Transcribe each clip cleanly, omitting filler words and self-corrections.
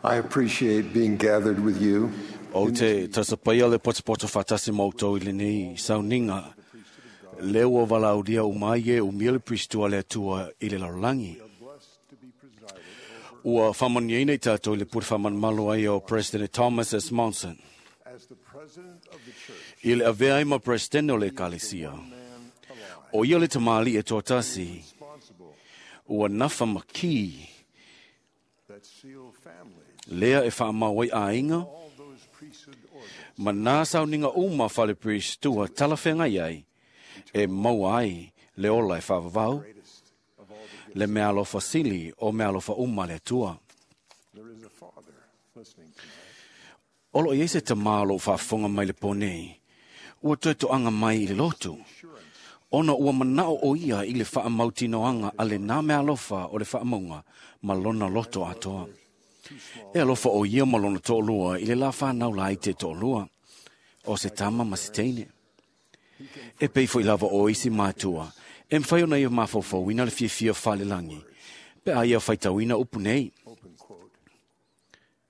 I appreciate being gathered with you. O te tasapaia le potopoto whaatasi mautou i lenei sauniga le ua valaulia umai e umia le Pristua le Atua i le lalolagi. Ua faamanuiaina i tatou i le pule faamanumalo ai o President Thomas S. Monson. As the president of the church, I le avea ai ma Presidente o le Ekalesia. O ia le tamali e toatasi, responsible ua nafa maki that seal families, lea e whaamau ai aiga, all those priesthood orders ma nā sauniga uma whale Pristua talawhenga iai, e maua ai le ola e whaavavau, greatest of all the le mea alofa sili o mea alofa uma le Atua. There is a father listening tonight. Olo i se tamā o whaafonga mai le pōnei, ua toe toanga mai i le lotu. Ona ua manao o ia i le whaamautinoanga a le nā mea alofa o le whaamaunga ma lona loto atoa. E alofa o ia ma lona to'olua i le la whanau la i te to'olua, o se tama ma se teine. E pei foi lava o isi mātua, e mwhai ona ia mafaufauina le fiafia whalelangi, pe a ia whaitauina upu nei. Open quote.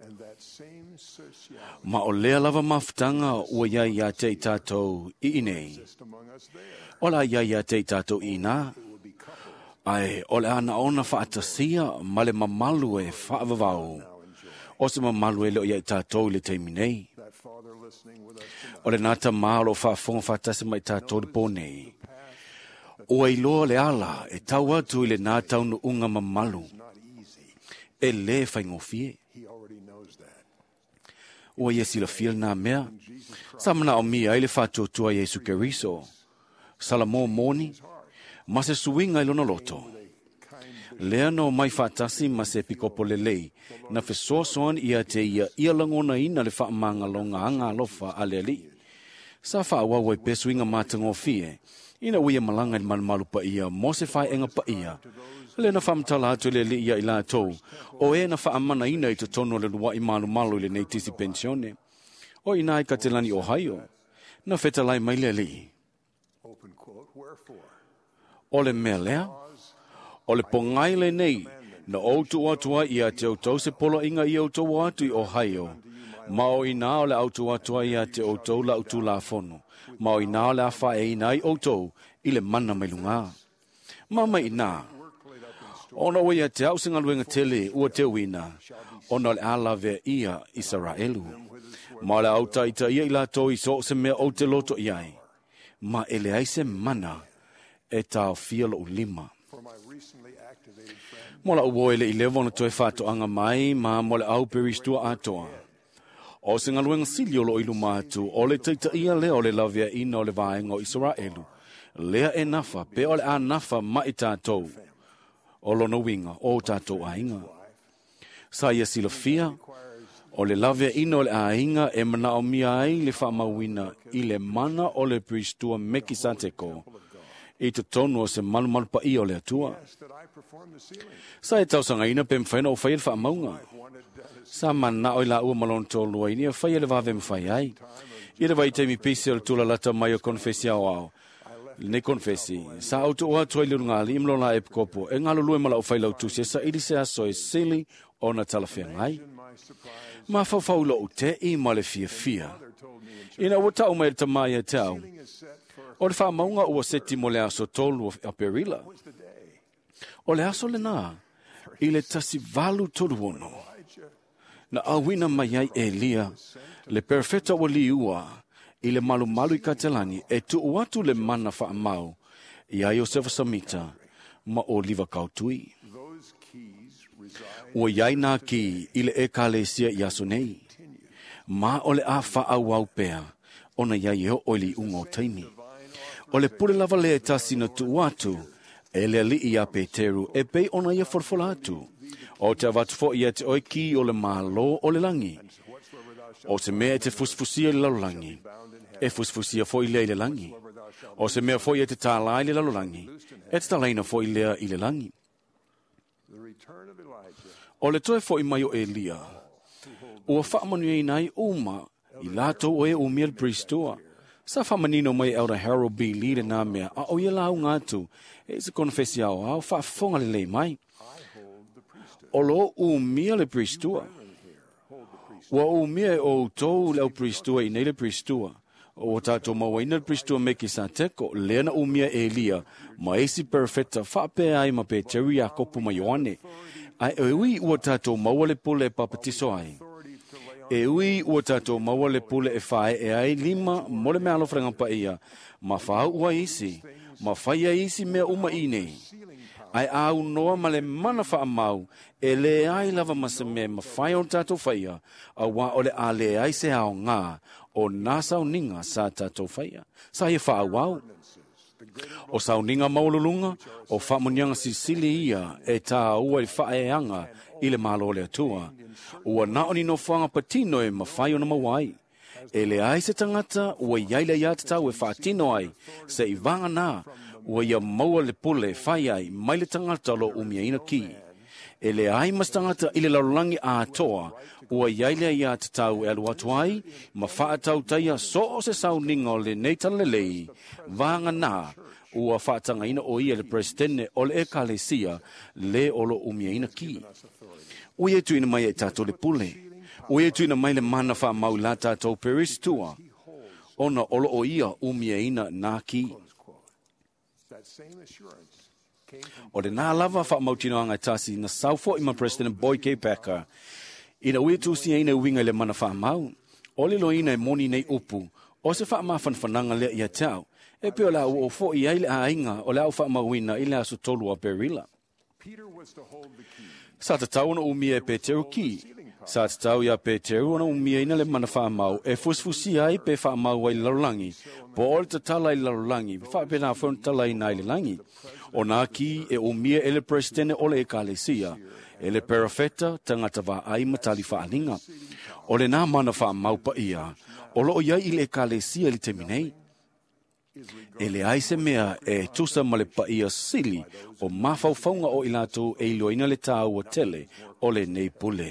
And that same sociality Ma o lea lava mafutanga ua iai ia te i tātou i inei. exists among us there. Ola ia ia te i tātou i nā, It will be coupled ai o le ana ona whaatasia ma le mamalu e whaavavau. now enjoy. O se mamalu e leo ia i tātou i le teimi nei. That father listening with us tonight O le nata mālo whaafonga whaatasi mai tātou le pō nei. O ei loa le ala e tau atu i le nā taunu unga mamalu. is not easy. E le whaingofie. He already knows that. Ua ia silafia le nā mea. Jesus Christ Sa mana o mia i le whaatuatua Yesu Keriso. Sala mō mōni. Ma se suinga i lona loto. with a kind Lea no mai whaatasi ma se pikopo lelei, na fesoasoani ia te ia ia langona ina le whaamanga anga alofa a le ali. Sa whaawau ai pesuinga mātangofie, ina uia malanga i le malumalu pa ia, mo se whaenga pa ia. Le na whamtala atu le li ia i lātou, o e na whaamana ina i te tono le luai malu malu i le nei tisi pensione. O ina i ka te lani Ohio, na whetalai mai le ali. open quote, wherefore, O le mea lea, o le pongai le nei, na outu atua ia te outou se polo inga i outou atu i Ohio. Ma o ina o le autu atua ia te outou la utu la fono. Ma o ina o le awha e ina i outou i le mana mai lunga. Ma mai ina, work laid up in store ona o ia te au se ngaluenga tele ua te uina, ona o le alave ia Israelu. Ma o le au taita ia i lātou i so se mea o te loto iai. Ma ele ai se mana e tāofia lo lima. for my recently activated friend Mo la uo ele i lewa ona toe whātoanga mai ma mo le au peristua atoa. O se ngaluenga sili o lo ilu mātu, o le teita ia lea o le lavea ina o le vaenga o Israelu. Lea e nafa, pe o le a nafa mai tātou. O lona winga, o tātou ainga. Sa ia silafia, o le lavea ina o le ainga e mana o mia ai le whaamauina i le mana o le peristua meki santeko. I te tonu o se malumalu pa ia o le atua. asked that I perform the sealing. Sa e tausangaina pe mwhaina o whai le whaamaunga. Wanted done as Sa mana o i la ua malon tōlua i nia whai e le wawe mwhai ai. I le vai teimi pisi o le tula lata mai o konfesi au ao. Le konfesi. Sa auto o atua i le rungali imlo la e pkopo. E ngalo lue mala o whai lau tusi e sa ili se aso e sili o na talawhea ngai. in my surprise, Ma whawhau lo o te i ma le fia fia. father told me in church, Ina ua tau mai le tamai e te au. sealing is set for O le whaamaunga ua seti mo le aso tolu o Aperila. was the day. O le aso le nā, i le tasi valu tolu ono. Elijah Na awina mai ai Elia, le perfeta o liua, i le malumalu i Katelani, e tuu atu le mana whaamau, i a Iosefa Samita, ma o liwa kautui. Those keys reside Ua iai nā ki i le ekalesia i aso nei. Ma o le a whaau au pea, ona iai e o li unga o taimi. O le pule lava le e tasi na tuu atu, e le ali i a Peteru e pei ona ia forfola atu. O te avatu fo ia te oi ki o le malo o le langi. whatsoever thou shalt O se mea e te fusfusia i le lalolangi, e fusfusia fo i lea i le langi. O se mea fo i e te tālai i le lalolangi, e te tālaina fo i lea i le langi. the return of Elijah O le toe fo i mai o Elia, ua whaamanu ei nai uma, i lātou o e umia le pristoa. Sa whamanino mai Elder Harold B. Lee le nā mea, a o ia lau ngātu, e se konfesi au au, whaafonga le lei mai. I hold the priesthood. O lo umia le pristoa. Brethren here Ua umia e outou le au pristua i nei le pristua. O tātou mauaina le pristua me ki sa teko, lea na umia e Elia, ma isi perfecta whaapea ai ma Peteri Iakopu ma Ioane. Ai e ui ua tātou maua le pule e papatiso ai. E ui ua tātou maua le pule e whae e ai lima mo le mea alofranga pa ia, ma whau ua isi, ma whaia isi mea uma i nei. Ai au noa ma le mana wha amau, e le ai lava ma se mea ma whai o tātou whaia, a wā o le a le ai se ao ngā, o nā sauninga sa tātou whaia. Sa ia wha au. O sauninga maululunga, o whamunianga sisili ia e tā ua i whaeanga i le malo le atua. Ua naoni no whanga patino e mawhai ona mawai. E le ai se tangata, ua iaila ia te tau e whaatino ai, se i vanga nā, ua ia maua le pule whai ai, mai le tangata lo umiaina ki. E le ai mas tangata i le larolangi a atoa, ua iaila ia te tau e alu atu ai, ma whaatau taia so o se sauninga o le nei talalelei, vanga nā, ua whaatangaina o ia le presidente o le ekalesia, le o lo umiaina ki. Ua ia tuina mai e tātou le pule. Ua ia tuina mai le mana wha mau la tātou peristua. Ona olo o ia umiaina nā ki. O le nā lava wha mautino anga tasi na saufo i ma President Boyd K. Packer. Ina ua tusi aina uinga le mana wha mau. O le loina e moni nei upu. O se wha mafanfananga lea ia tau. E peo la ua o i ai le ainga o le au wha mauina i le aso tolu a Perila. Sa tatau ona umia e Peteru ki. Sa tatau ia Peteru ona umia ina le mana whaamau e fusfusi ai pe whaamau ai larolangi. Po o le tatala i larolangi, whaapena whaon tala i nai le langi. O nā ki e umia e le presidente o le ekalesia, e le perafeta tangata vā ai matali whaalinga. O le nā mana whaamau pa ia, o loo iai i le ekalesia li temi nei. E le ai se mea e tusa ma le paia sili o mawhaufaunga o i lātou e iloina le tāua tele o le nei pule.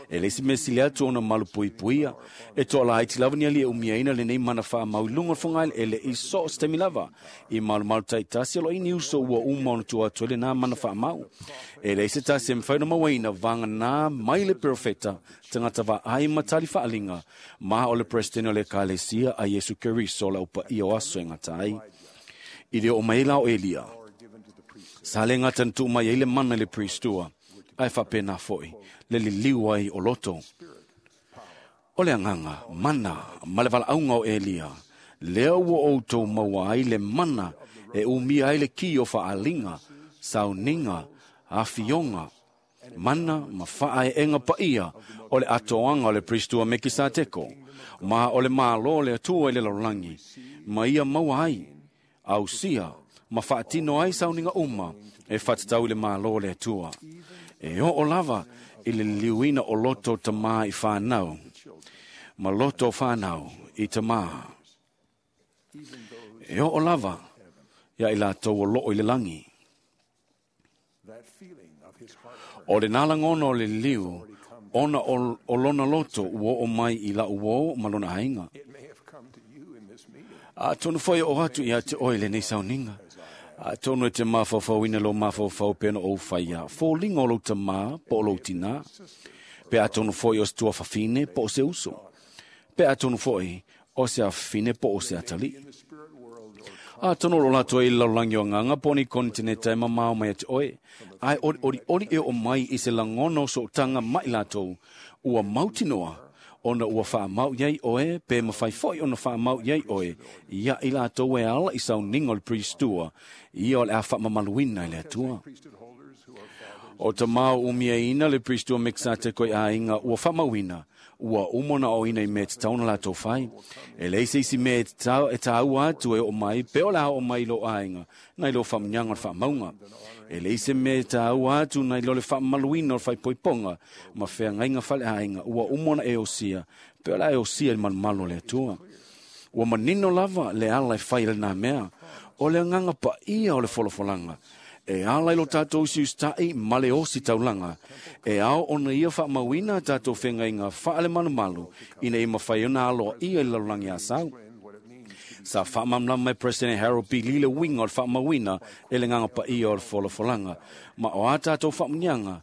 E le si mea sili atu ona malu pui puia, e toa la aiti lava ni ali e umiaina le nei mana wha mau lunga whangail e le i so stemi lava. I malu malu taitasi alo ini uso ua uma ona tua atu le nā mana wha mau. E le se tasi e mwhaina mawaina vanga nā mai le profeta tangata va ai matali whaalinga ma o le presidente o le kalesia a Yesu Keriso la upa ia o aso e ngata ai. I le o maila o Elia. Sa le ngata ntu mai le mana le priestua. Ai whapena foi, le liliu ai o loto. O le anganga, mana, ma le valaauga o Elia, lea ua outou maua ai le mana e umia ai le ki o whaalinga, sauninga, afionga, mana ma whaaenga paia o le atoanga o le pristua me ki sa teko, ma o le mālo le atua i le larolangi, ma ia maua ai, ausia, ma whaatino ai sauninga uma, e whatatau i le mālo le atua. E o o lava i le liuina o loto tamā i whānau, ma loto whānau i tamā. E o o lava ia i lātou o loo i le langi. O le nālangono o le liu, ona o lona loto ua o mai i lau o ma lona ainga. A tonu whai o atu i a te oi le nei sauninga. A tonu e te mawhawhau lo mawhawhau pena o whaia. Fōlinga o lau tamā, po o lau tina. Pe a tonu foi o se tua whawhine, po o se uso. Pe a tonu foi o se awhine, po o se atali. A tonu lo lātou i laulangi o nganga, poni kontineta e mamao mai ate oe. Ai ori ori ori e o mai i se langono so tanga mai lātou. Ua mautinoa, ona ua whaamau iai oe, pe mawhai foi ona whaamau iai oe. Ia i lātou e ala i sauninga o le priestua, ia o le a whaamamaluina i le atua. O ta mau umia ina le priestua mexate koe a inga ua whaamauina, ua umona o ina i me te tauna lātou whai. E leise isi me e tāua atu e o mai, pe o la o mai lo ainga, nai lo whaamnyanga o le whaamaunga. E leise me tāua atu nai lo le whaamaluina o le whaipoiponga, ma whea ngainga whale ainga, ua umona e osia, pe o la e osia i malumalo le atua. Ua manino lava le ala e whai le nā mea, o le nganga pa ia o le folofolanga. E ala i lo tātou si ustai ma le osi taulanga. E ao ona ia whaamauina tātou whenga i ngā whaale malumalu, ina i mawhai ona aloa ia i lalulangi a sau. Sa whaamamlama mai President Harold B. Lile winga o le whaamauina e le nganga pa ia o le folofolanga. Ma o a tātou whaamunianga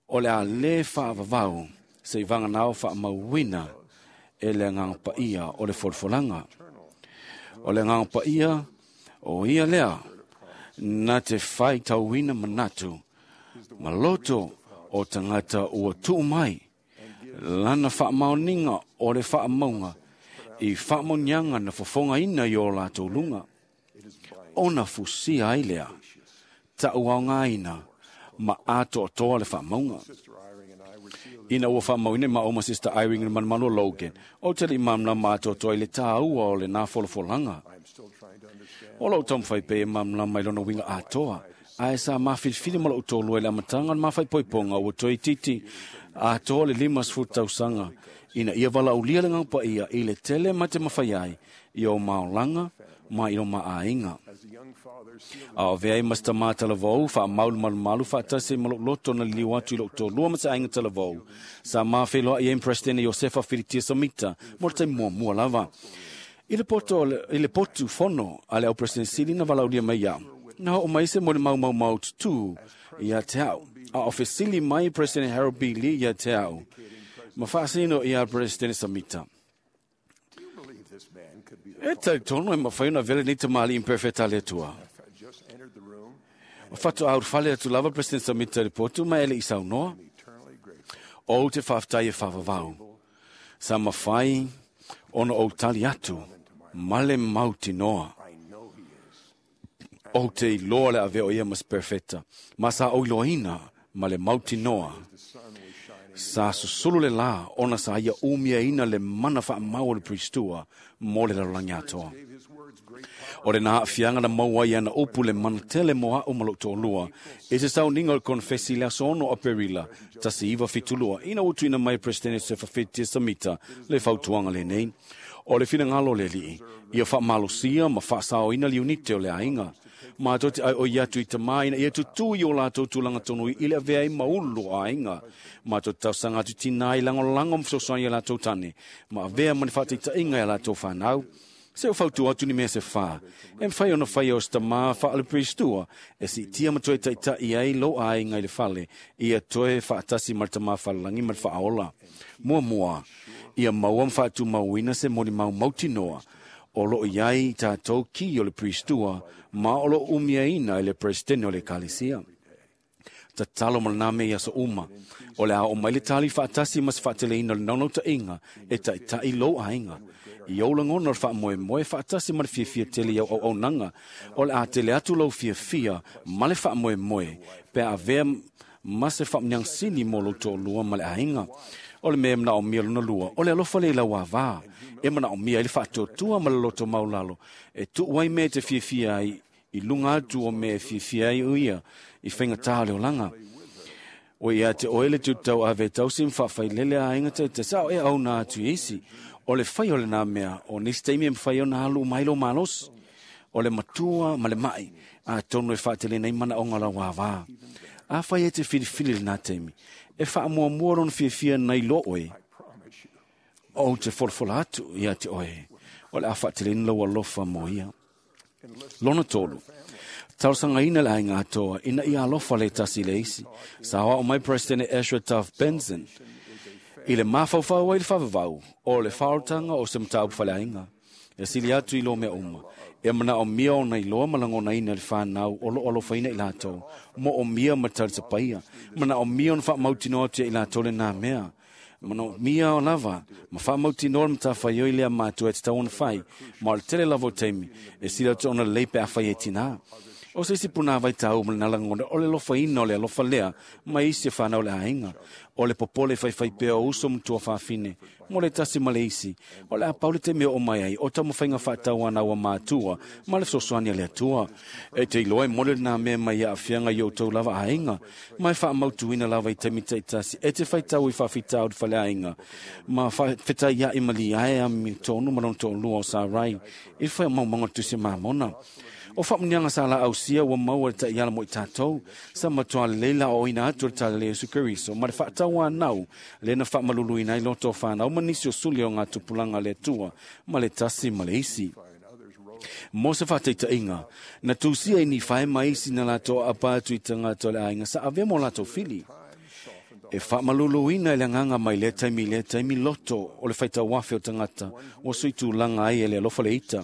o le a le whaavavau Se i vaganao faamauina e le agaga paia o le folafolaga. O le agaga paia o ia lea na te faitauina manatu ma loto o tagata ua tuu mai lana faamaoniga o le faamauga i faamaoniaga na fofogaina i o latou luga, ona fusia ai lea taʻuaogaina ma atoatoa le faamauga. Ina ua faamauina e maʻo ma Sister Irene le malumalu o Logan, o te liʻi malamalama atoatoa i le tāua o lenā folafolaga. O lou taumafai pea e malamalama i lona uiga atoa, ae sa mafilifili ma lou tolua i le amataga o le mafaipoipoga ua toe itiiti atoa le 50 tausaga ina ia valaaulia le Agaga Paia i le tele ma te mafai ai i o maolaga ma i o maaiga. A o avea ai ma se tamā talavou, faamaulu malumalu faatasi ma lou loto na liliu atu i lou tolua ma se aiga talavou, sa mafeiloai ai ma Peresetene Iosefa Filitia Samita mo le taimi muamua lava. I le poto, i le potu fono a le au President Sili na valaulia mai iau, na oo mai se molimau tutū ia te au. A o fesili mai President Harold B. Lee ia te au, ma faasino ia President Samita. E talitonu e mafai ona avea lenei tamalii imperfect a le Atua. O faatoa ulufale atu lava President Samita i le potu ma e le i saunoa. Ou te faafetai e faavavau. Sa mafai ona ou tali atu ma le mautinoa. Ou te iloa le avea o ia ma se perfeta, ma sa ou iloaina ma le mautinoa. Sa susulu le lā ona sa ia umiaina le mana faamau o le Priestua mo le lalolagi atoa. O lena aafiaga na maua ai ana upu le mana tele mo a'u ma lou toalua i se sauniga o le konefesi i le aso 6 Aperila 1972, ina ua tuuina mai e Peresetene Josefa Fetia Samita le fautuaga lenei. O le finagalo o le Alii, ia faamalosia ma faasaoina le iunite o le aiga. Matou te ʻaiʻoi atu i tamā ina ia tutū i o latou tulaga tonu i le avea ai ma ulu o aiga. Matou te talosaga atu i tinā i lagolago ma fesoasoani i a latou tane, ma avea ma ni faataitaiga i a latou fanau. Se o fautua atu ni mea se fā, e mafai ona faia o se tamā faale-Peristua e siitia ma toe taitai ai lou aiga i le fale, ia toe faatasi ma le tamā falelagi ma le faaola. Muamua, ia maua ma faatumauina se molimau mautinoa o loo i ai tatou ki o le Peristua ma o loo umiaina e le Peresetene o le Ekalesia. Tatalo ma lena mea i aso uma, o le a oo mai le tali faatasi ma se faateleina o le naunautaiga e taitai lou aiga. I ou lagona o le faamoemoe faatasi ma le fiafia tele i au auaunaga, o le a tele atu lou fiafia ma le faamoemoe pe a avea ma se faamanuiaga sili mo lou toalua ma le aiga. O le mea e manaomia lona lua, o le alofa lea i lau avā, e manaomia ai le faatuatua ma le loto maualalo, e tuu ai mea e te fiafia ai i luga atu o mea e fiafia ai o ia i faigata o le olaga. O ia te oe le tutau ave tausi ma faafailele aiga taitasi, a o e auna atu i isi. O le fai o lenā mea, o nisi taimi e mafai ona alu uma ai lou malosi. O le matua ma le maʻi, atonu e faateleina ai manaoga o lau avā. Afai e te filifili lenā taimi, e faamuamua lona fiafia nai lo oe, ou te folafola atu ia te oe, o le a faateleina lou alofa mo ia. Lona tolu, talosagaina le aiga atoa ina ia alofa le tasi i le isi. Sa aoao mai Peresetene Ezra Taft Benson i le mafaufau ai le faavavau o le faaolataga o se mataupu faleaiga. E sili atu i lo mea uma, e manaomia ona iloa ma lagonaina le fanau o loo alofaina i latou, moomia ma talisapaia, manaomia ona faamautinoa atu ia i latou lenā mea. Manaomia o lava ma faamautinoa le matafaioi lea matua e tatau ona fai, ma o le tele lava o taimi e sili atu ona lelei pe afai e tinā. O se isi punāwai tāua ma lena lagona o le alofaina o le alofa lea mai isi e whanau le aiga. O le popole faifai pea o uso ma tuafafine, mo le tasi ma le isi. O le a pau le taimi e oo mai ai, o taumafaiga faatauana ua matua ma le fesoasoani a le Atua. E te iloa e moni lenā mea mai aafiaga i outou lava aiga, ma e faamautuina lava i taimi taitasi e te faitau i faafitauli faleaiga ma fetaiaʻi malie ami tonu ma lona toalua o Sarai i le faamaumauga o le Tusi a Mamona. O faamanuiaga sa laausia ua maua le taiala mo i tatou, sa matua lelei la aoaoina atu e le Tala Iesu Keriso ma le faatauanau lea na faamaluluina ai loto o fanau ma nisi o suli o ngā tupulaga a le Atua ma le tasi ma le isi. Mo se faataitaiga, na tusia i Nifae ma isi na latou aapa atu i tagata o le aiga sa avea mo latou fili. E faamaluluina i le agaga mai lea taimi i lea taimi loto o le faitauafe o tagata ua suitulaga ai e le alofa le ita.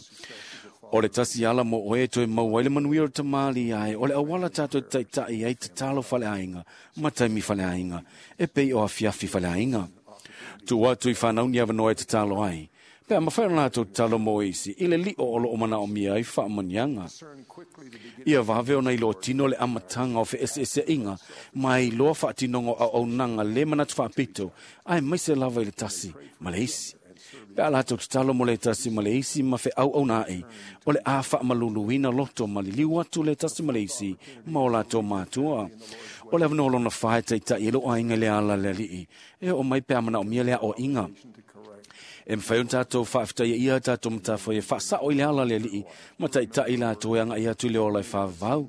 O le tasi ala mo oe e toe maua ai le manuia o le tamali ai, o le auala tātou taitai ai tatalo faleaiga ma taimi faleaiga, e pei o afiafi faleaiga. Tuu atu i whanau ni awanoa e tatalo ai. Pe a mawhai o lātou tatalo mo isi, i le lio o loo mana o mia ai whaamanianga. Ia vave ona i loa tino le amatanga o fe ese ese inga, mai loa whaatinongo au au nanga le manatu whaapito, ai mai se lava i le tasi, ma le isi. Pe a lātou tatalo mo le tasi ma le isi ma fe au au nai, o le a whaamaluluina loto ma liliu atu le tasi ma le isi, ma o lātou mātua. O le awanoa lona whae taitai e lo ainga le ala le alii, e o mai pe a mana o mia lea o inga. E mwhai o tātou whaaftai ia tātou matawhai e whaasao i le ala le alii, ma taitai lātou e anga i atu le ola e whaavau.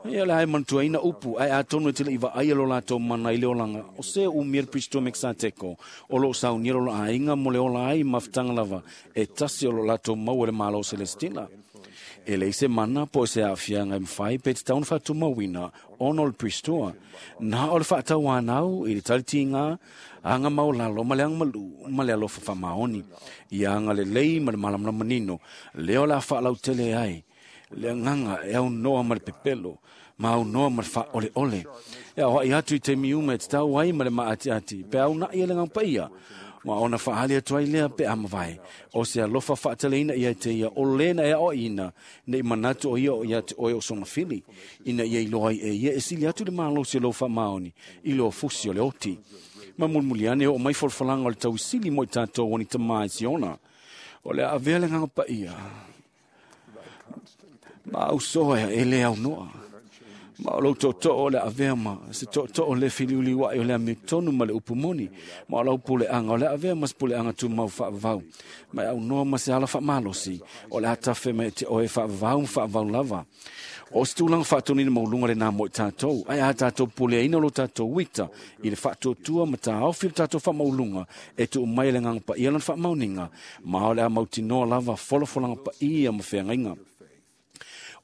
Ia le ai manutua ina upu, ai a tonu e tele i vaai lo lātou mana i le olanga. O se u mia Pristo Mexateko, o lo sau ni lo ainga mo le ola ai mafutanga lava, e tasi o lo lātou mau e le malo Celestina. E le se mana po se afianga e mwhai pe te taun whatu mawina ono le Pristoa. Nā o le whaatau anau i le talitinga, anga mau lalo ma le anga malu ma le alofa whamaoni. I anga le lei ma le malamala manino, leo la whaalau tele ai. Le nganga e au noa ma le pepelo, ma au noa ma le wha ole ole. E au hai atu i te miuma e te tau ai ma le maati ati, pe au nai e le ngaupaia. Ma ona whaali atu ai lea pe amawai. O se alofa whaataleina ia te ia o lena e o ina, nei manatu o ia o ia te oe o sona fili. Ina ia iloa ai e ia e sili atu le malo se lo wha i lo fusi o le oti. Ma mulmuliane o mai folfolanga o le tauisili mo i tātou o ni tamai siona. O le avea le nganga paia. Ma au soa e le au noa. Ma o lau toto o le avea ma se toto o le filiuli wai o le ame tonu ma le upumoni. Ma o lau pule anga o le avea ma se pule anga tu mau whaavau. Ma au noa ma se ala whaamalosi. O le atafe me te oe whaavau ma whaavau lava. O se tūlanga whaatonina maulunga le nā mo i tātou. Ai a tātou pule aina lo tātou wita. I le whaatuatua ma tā au le tātou whaamaulunga. E tu mai le nganga pa ia lan whaamauninga. Ma o le a mautinoa lava folofolanga pa ia ma wheangainga.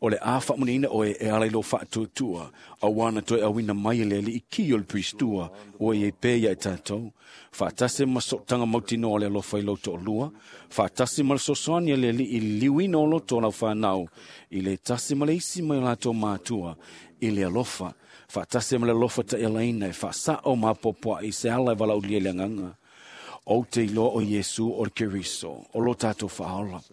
O le a whaamuni oe e ala i lo whaatuatua, a wana toe awina mai le li i ki o le pristua, o e pe ia e tātou. Whaatase ma sotanga mautinoa le alofa i loto o lua, whaatase ma le sosoani le li i liuina o loto o lau whanau, i le tasi ma le isi mai o lātou mātua, i le alofa. Whaatase ma le alofa ta elaina e whaasao ma popoa i se ala e wala ulia le nganga. O te iloa o Yesu o le Keriso, o lo tātou whaola.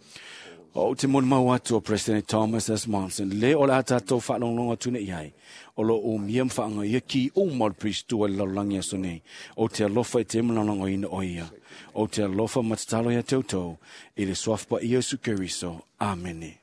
O te moni mau atu o President Thomas S. Monson, le o le atatou whaalonglonga tune i ai. O lo o mia mwhaanga ia ki o mau pristua le lalulangi aso nei. O te alofa e te mlalango ina o ia. O te alofa matatalo ia tautou. I le soafpa Iesu Keriso. Amene.